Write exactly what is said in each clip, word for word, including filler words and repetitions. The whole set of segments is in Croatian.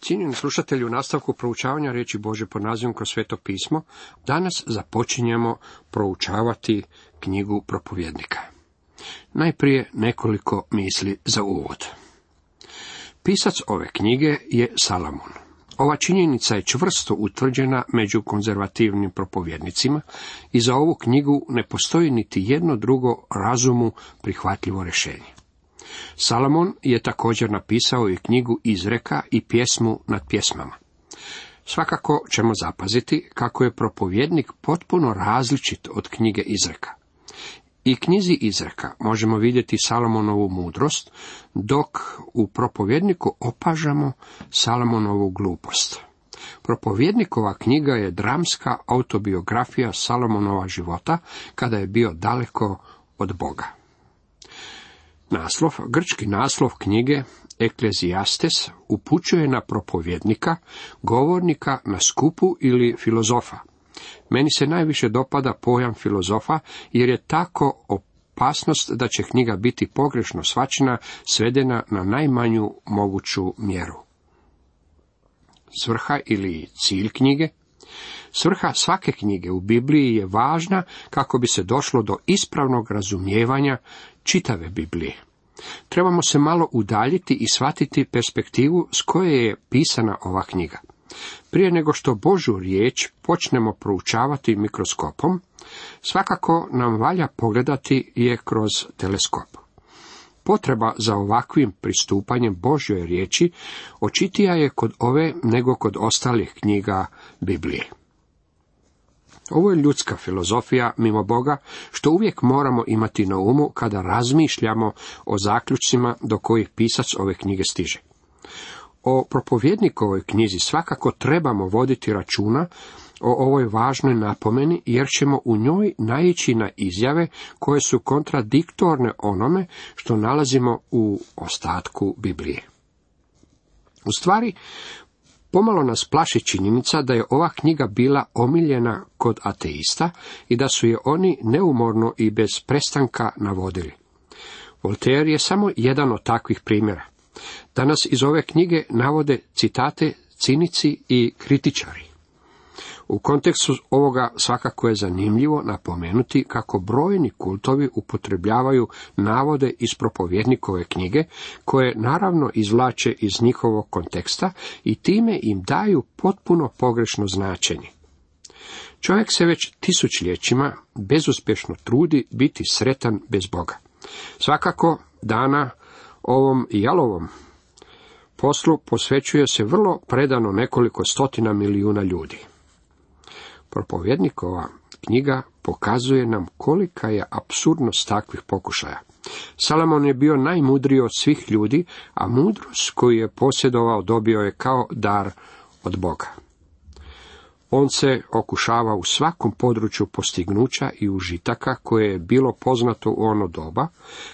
Cijenjeni slušatelji, u nastavku proučavanja riječi Božje pod nazivom Kroz sveto pismo, danas započinjemo proučavati knjigu Propovjednika. Najprije nekoliko misli za uvod. Pisac ove knjige je Salamon. Ova činjenica je čvrsto utvrđena među konzervativnim propovjednicima i za ovu knjigu ne postoji niti jedno drugo razumu prihvatljivo rješenje. Salamon je također napisao i knjigu Izreka i pjesmu nad pjesmama. Svakako ćemo zapaziti kako je propovjednik potpuno različit od knjige Izreka. I knjizi Izreka možemo vidjeti Salomonovu mudrost, dok u propovjedniku opažamo Salomonovu glupost. Propovjednikova knjiga je dramska autobiografija Salomonova života kada je bio daleko od Boga. Naslov, grčki naslov knjige Eklezijastes upućuje na propovjednika, govornika na skupu ili filozofa. Meni se najviše dopada pojam filozofa jer je tako opasnost da će knjiga biti pogrešno shvaćena, svedena na najmanju moguću mjeru. Svrha ili cilj knjige? Svrha svake knjige u Bibliji je važna kako bi se došlo do ispravnog razumijevanja čitave Biblije. Trebamo se malo udaljiti i shvatiti perspektivu s koje je pisana ova knjiga. Prije nego što Božju riječ počnemo proučavati mikroskopom, svakako nam valja pogledati je kroz teleskop. Potreba za ovakvim pristupanjem Božjoj riječi očitija je kod ove nego kod ostalih knjiga Biblije. Ovo je ljudska filozofija mimo Boga, što uvijek moramo imati na umu kada razmišljamo o zaključcima do kojih pisac ove knjige stiže. O propovjednikovoj knjizi svakako trebamo voditi računa o ovoj važnoj napomeni, jer ćemo u njoj naići na izjave koje su kontradiktorne onome što nalazimo u ostatku Biblije. U stvari, pomalo nas plaši činjenica da je ova knjiga bila omiljena kod ateista i da su je oni neumorno i bez prestanka navodili. Voltaire je samo jedan od takvih primjera. Danas iz ove knjige navode citate cinici i kritičari. U kontekstu ovoga svakako je zanimljivo napomenuti kako brojni kultovi upotrebljavaju navode iz propovjednikove knjige, koje naravno izvlače iz njihovog konteksta i time im daju potpuno pogrešno značenje. Čovjek se već tisućljećima bezuspješno trudi biti sretan bez Boga. Svakako dana ovom jalovom poslu posvećuje se vrlo predano nekoliko stotina milijuna ljudi. Propovjednikova knjiga pokazuje nam kolika je apsurdnost takvih pokušaja. Salomon je bio najmudriji od svih ljudi, a mudrost koju je posjedovao dobio je kao dar od Boga. On se okušava u svakom području postignuća i užitaka koje je bilo poznato u ono doba,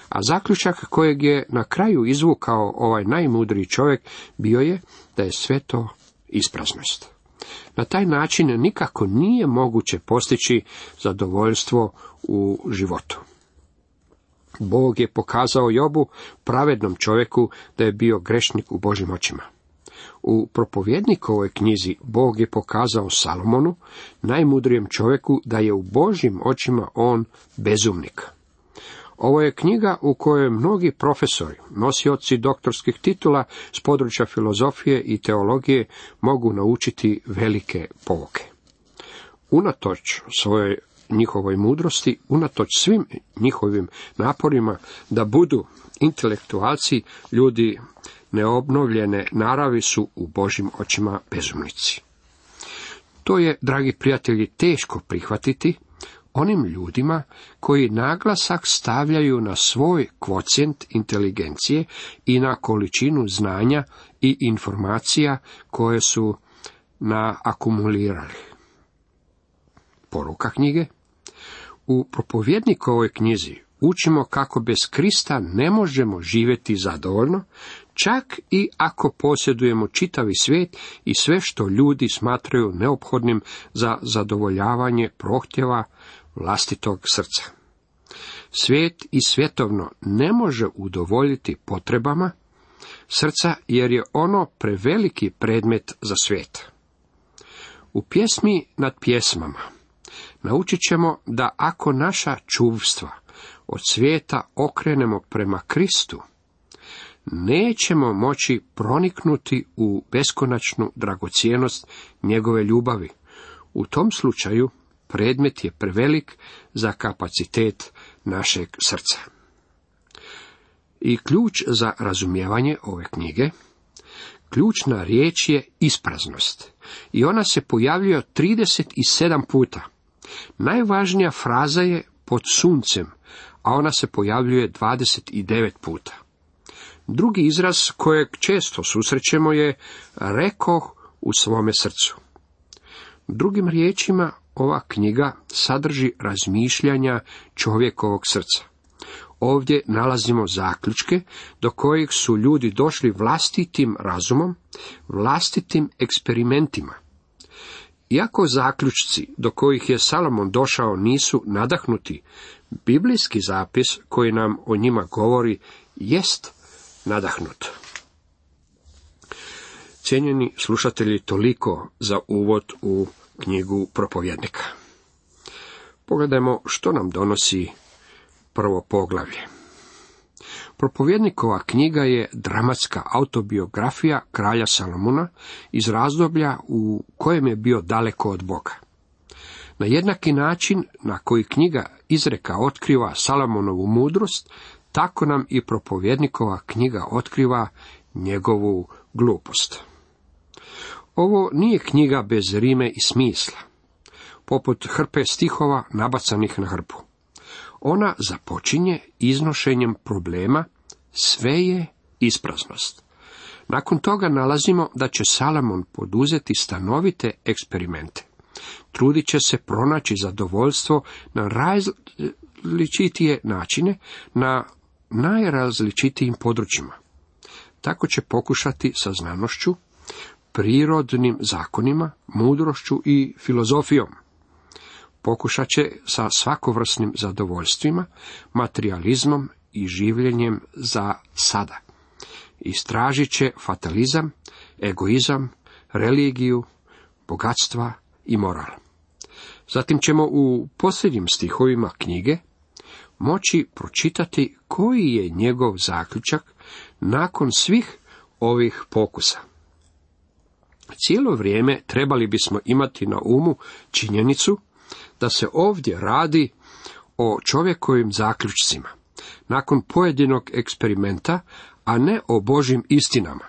a zaključak kojeg je na kraju izvukao ovaj najmudriji čovjek bio je da je sve to ispraznost. Na taj način nikako nije moguće postići zadovoljstvo u životu. Bog je pokazao Jobu, pravednom čovjeku, da je bio grešnik u Božjim očima. U propovjednikovoj knjizi Bog je pokazao Salomonu, najmudrijem čovjeku, da je u Božjim očima on bezumnik. Ovo je knjiga u kojoj mnogi profesori, nosioci doktorskih titula s područja filozofije i teologije mogu naučiti velike pouke. Unatoč svojoj njihovoj mudrosti, unatoč svim njihovim naporima da budu intelektualci, ljudi neobnovljene naravi su u Božjim očima bezumnici. To je, dragi prijatelji, teško prihvatiti onim ljudima koji naglasak stavljaju na svoj kvocijent inteligencije i na količinu znanja i informacija koje su naakumulirali. Poruka knjige? U propovjednikovoj knjizi učimo kako bez Krista ne možemo živjeti zadovoljno, čak i ako posjedujemo čitavi svijet i sve što ljudi smatraju neophodnim za zadovoljavanje prohtjeva vlastitog srca. Svijet i svjetovno ne može udovoljiti potrebama srca, jer je ono preveliki predmet za svijet. U pjesmi nad pjesmama naučit ćemo da ako naša čuvstva od svijeta okrenemo prema Kristu, nećemo moći proniknuti u beskonačnu dragocjenost njegove ljubavi. U tom slučaju predmet je prevelik za kapacitet našeg srca. I ključ za razumijevanje ove knjige, ključna riječ je ispraznost. I ona se pojavljuje trideset sedam puta. Najvažnija fraza je pod suncem, a ona se pojavljuje dvadeset devet puta. Drugi izraz kojeg često susrećemo je rekoh u svome srcu. Drugim riječima, ova knjiga sadrži razmišljanja čovjekovog srca. Ovdje nalazimo zaključke do kojih su ljudi došli vlastitim razumom, vlastitim eksperimentima. Iako zaključci do kojih je Salomon došao nisu nadahnuti, biblijski zapis koji nam o njima govori jest nadahnut. Cijenjeni slušatelji, toliko za uvod u knjigu Propovjednika. Pogledajmo što nam donosi prvo poglavlje. Propovjednikova knjiga je dramatska autobiografija kralja Salomona iz razdoblja u kojem je bio daleko od Boga. Na jednaki način na koji knjiga izreka otkriva Salomonovu mudrost, tako nam i propovjednikova knjiga otkriva njegovu glupost. Ovo nije knjiga bez rime i smisla, poput hrpe stihova nabacanih na hrpu. Ona započinje iznošenjem problema, sve je ispraznost. Nakon toga nalazimo da će Salomon poduzeti stanovite eksperimente. Trudit će se pronaći zadovoljstvo na različitije načine, na najrazličitijim područjima. Tako će pokušati sa znanošću, prirodnim zakonima, mudrošću i filozofijom. Pokušat će sa svakovrsnim zadovoljstvima, materijalizmom i življenjem za sada. Istražit će fatalizam, egoizam, religiju, bogatstva i moral. Zatim ćemo u posljednjim stihovima knjige moći pročitati koji je njegov zaključak nakon svih ovih pokusa. Cijelo vrijeme trebali bismo imati na umu činjenicu da se ovdje radi o čovjekovim zaključcima, nakon pojedinog eksperimenta, a ne o Božjim istinama.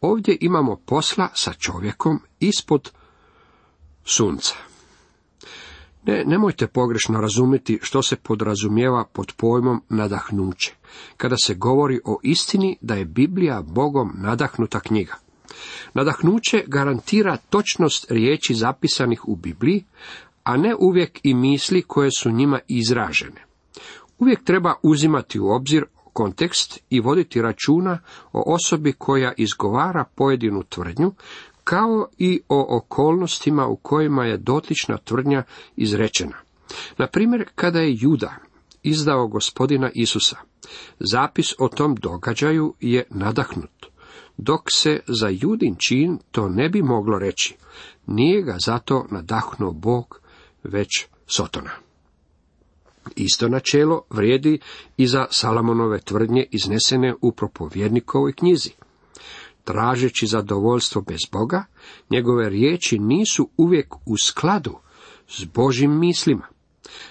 Ovdje imamo posla sa čovjekom ispod sunca. Ne, nemojte pogrešno razumjeti što se podrazumijeva pod pojmom nadahnuće, kada se govori o istini da je Biblija Bogom nadahnuta knjiga. Nadahnuće garantira točnost riječi zapisanih u Bibliji, a ne uvijek i misli koje su njima izražene. Uvijek treba uzimati u obzir kontekst i voditi računa o osobi koja izgovara pojedinu tvrdnju, kao i o okolnostima u kojima je dotična tvrdnja izrečena. Na primjer, kada je Juda izdao gospodina Isusa, zapis o tom događaju je nadahnut, dok se za Judin čin to ne bi moglo reći. Nije ga zato nadahnuo Bog, već Sotona. Isto načelo vrijedi i za Salomonove tvrdnje iznesene u propovjednikovoj knjizi. Tražeći zadovoljstvo bez Boga, njegove riječi nisu uvijek u skladu s Božjim mislima.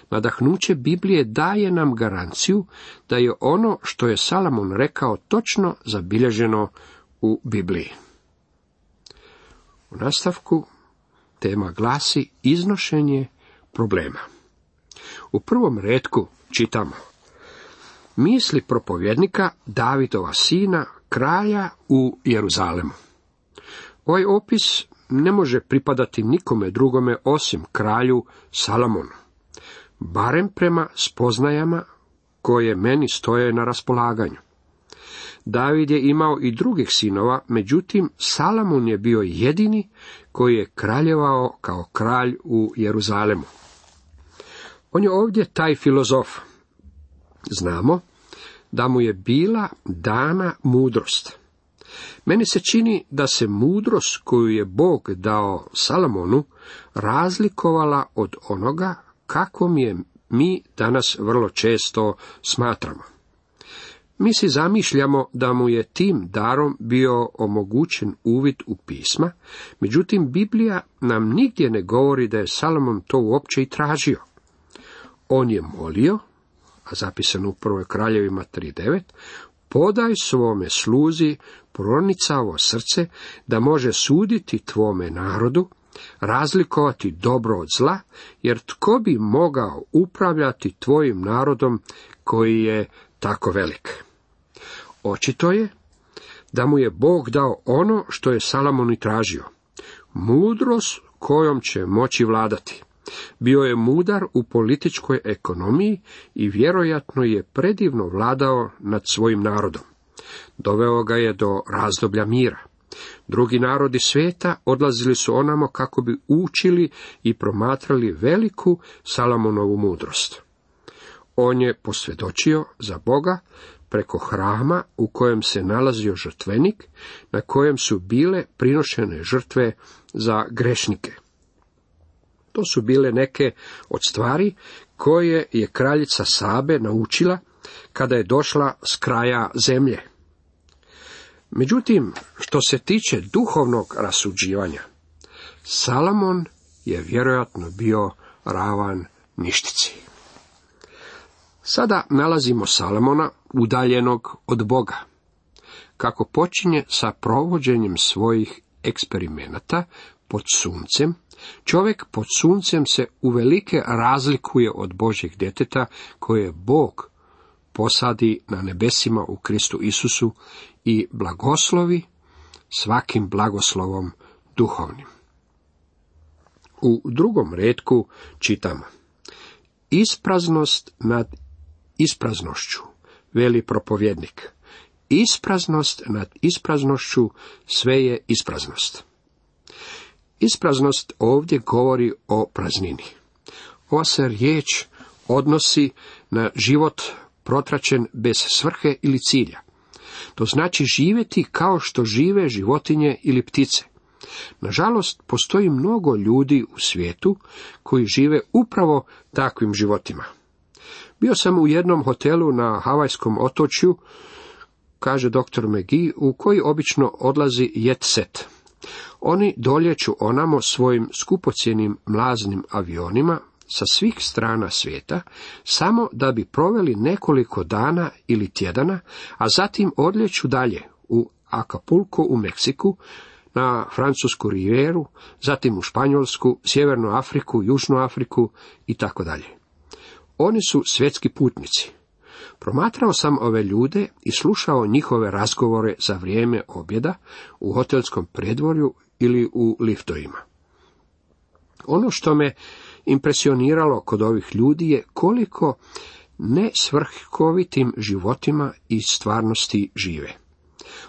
Nadahnuće Biblije daje nam garanciju da je ono što je Salomon rekao točno zabilježeno u Bibliji. U nastavku tema glasi iznošenje problema. U prvom retku čitamo: misli propovjednika Davidova sina, kralja u Jeruzalemu. Ovaj opis ne može pripadati nikome drugome osim kralju Salomonu, barem prema spoznajama koje meni stoje na raspolaganju. David je imao i drugih sinova, međutim Salomon je bio jedini koji je kraljevao kao kralj u Jeruzalemu. On je ovdje taj filozof. Znamo da mu je bila dana mudrost. Meni se čini da se mudrost koju je Bog dao Salomonu razlikovala od onoga kakvom je mi danas vrlo često smatramo. Mi si zamišljamo da mu je tim darom bio omogućen uvid u pisma, međutim Biblija nam nigdje ne govori da je Salomon to uopće i tražio. On je molio, a zapisano u prvoj Kraljevima tri devet, podaj svome sluzi pronicavo srce da može suditi tvome narodu, razlikovati dobro od zla, jer tko bi mogao upravljati tvojim narodom koji je tako velik. Očito je da mu je Bog dao ono što je Salomon i tražio, mudrost kojom će moći vladati. Bio je mudar u političkoj ekonomiji i vjerojatno je predivno vladao nad svojim narodom. Doveo ga je do razdoblja mira. Drugi narodi svijeta odlazili su onamo kako bi učili i promatrali veliku Salomonovu mudrost. On je posvjedočio za Boga preko hrama u kojem se nalazio žrtvenik, na kojem su bile prinošene žrtve za grešnike. To su bile neke od stvari koje je kraljica Sabe naučila kada je došla s kraja zemlje. Međutim, što se tiče duhovnog rasuđivanja, Salomon je vjerojatno bio ravan ništici. Sada nalazimo Salomona udaljenog od Boga. Kako počinje sa provođenjem svojih eksperimenata pod suncem, čovjek pod suncem se uvelike razlikuje od Božjeg djeteta koje Bog posadi na nebesima u Kristu Isusu i blagoslovi svakim blagoslovom duhovnim. U drugom retku čitamo: ispraznost nad ispraznošću, veli propovjednik. Ispraznost nad ispraznošću, sve je ispraznost. Ispraznost ovdje govori o praznini. Ova se riječ odnosi na život protračen bez svrhe ili cilja. To znači živjeti kao što žive životinje ili ptice. Nažalost, postoji mnogo ljudi u svijetu koji žive upravo takvim životima. Bio sam u jednom hotelu na Havajskom otočju, kaže doktor McGee, u koji obično odlazi jet set. Oni doljeću onamo svojim skupocjenim mlaznim avionima sa svih strana svijeta, samo da bi proveli nekoliko dana ili tjedana, a zatim odljeću dalje u Acapulco u Meksiku, na Francusku rivijeru, zatim u Španjolsku, Sjevernu Afriku, Južnu Afriku i tako dalje. Oni su svjetski putnici. Promatrao sam ove ljude i slušao njihove razgovore za vrijeme objeda u hotelskom predvorju ili u liftovima. Ono što me impresioniralo kod ovih ljudi je koliko nesvrhovitim životima i stvarnosti žive.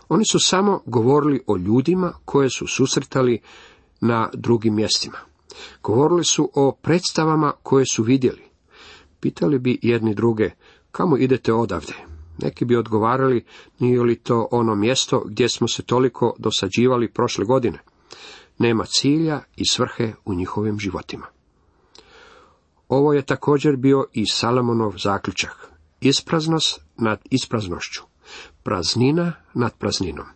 Oni su samo govorili o ljudima koje su susretali na drugim mjestima. Govorili su o predstavama koje su vidjeli. Pitali bi jedni druge: kamo idete odavde? Neki bi odgovarali: nije li to ono mjesto gdje smo se toliko dosađivali prošle godine? Nema cilja i svrhe u njihovim životima. Ovo je također bio i Salomonov zaključak: ispraznost nad ispraznošću, praznina nad prazninom.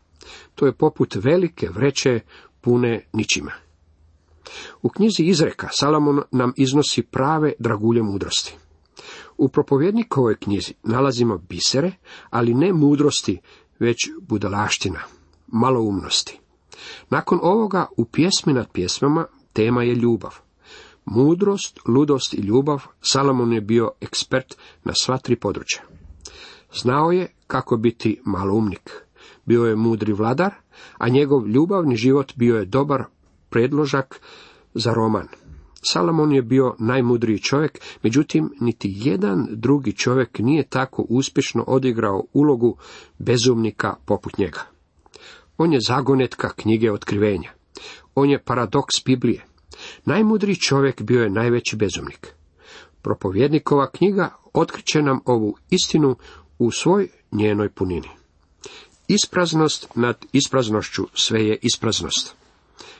To je poput velike vreće pune ničima. U knjizi Izreka Salomon nam iznosi prave dragulje mudrosti. U propovjednikovoj knjizi nalazimo bisere, ali ne mudrosti, već budalaština, maloumnosti. Nakon ovoga u pjesmi nad pjesmama tema je ljubav. Mudrost, ludost i ljubav, Salomon je bio ekspert na sva tri područja. Znao je kako biti maloumnik. Bio je mudri vladar, a njegov ljubavni život bio je dobar predložak za roman. Salomon je bio najmudriji čovjek, međutim niti jedan drugi čovjek nije tako uspješno odigrao ulogu bezumnika poput njega. On je zagonetka knjige Otkrivenja. On je paradoks Biblije. Najmudriji čovjek bio je najveći bezumnik. Propovjednikova knjiga otkriće nam ovu istinu u svoj njenoj punini. Ispraznost nad ispraznošću sve je ispraznost,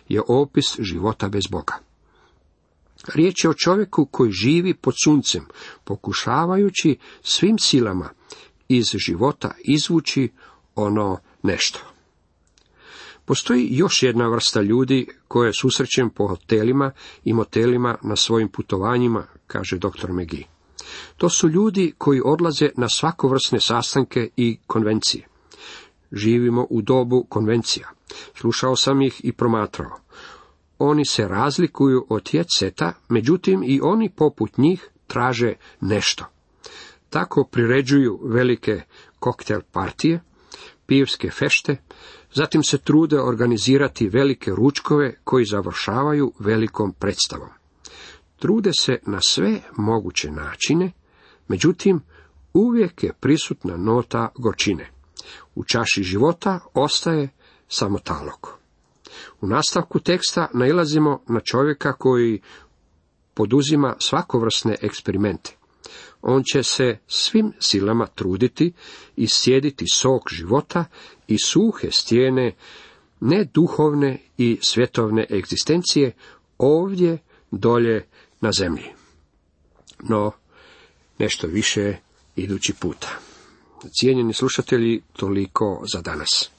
je opis života bez Boga. Riječ je o čovjeku koji živi pod suncem, pokušavajući svim silama iz života izvući ono nešto. Postoji još jedna vrsta ljudi koje susrećem po hotelima i motelima na svojim putovanjima, kaže doktor McGee. To su ljudi koji odlaze na svakovrsne sastanke i konvencije. Živimo u dobu konvencija. Slušao sam ih i promatrao. Oni se razlikuju od jet seta, međutim i oni poput njih traže nešto. Tako priređuju velike koktel partije, pivske fešte, zatim se trude organizirati velike ručkove koji završavaju velikom predstavom. Trude se na sve moguće načine, međutim uvijek je prisutna nota gorčine. U čaši života ostaje samo talog. U nastavku teksta nailazimo na čovjeka koji poduzima svakovrsne eksperimente. On će se svim silama truditi i sjediti sok života i suhe stijene neduhovne i svjetovne egzistencije ovdje dolje na zemlji. No, nešto više idući puta. Cijenjeni slušatelji, toliko za danas.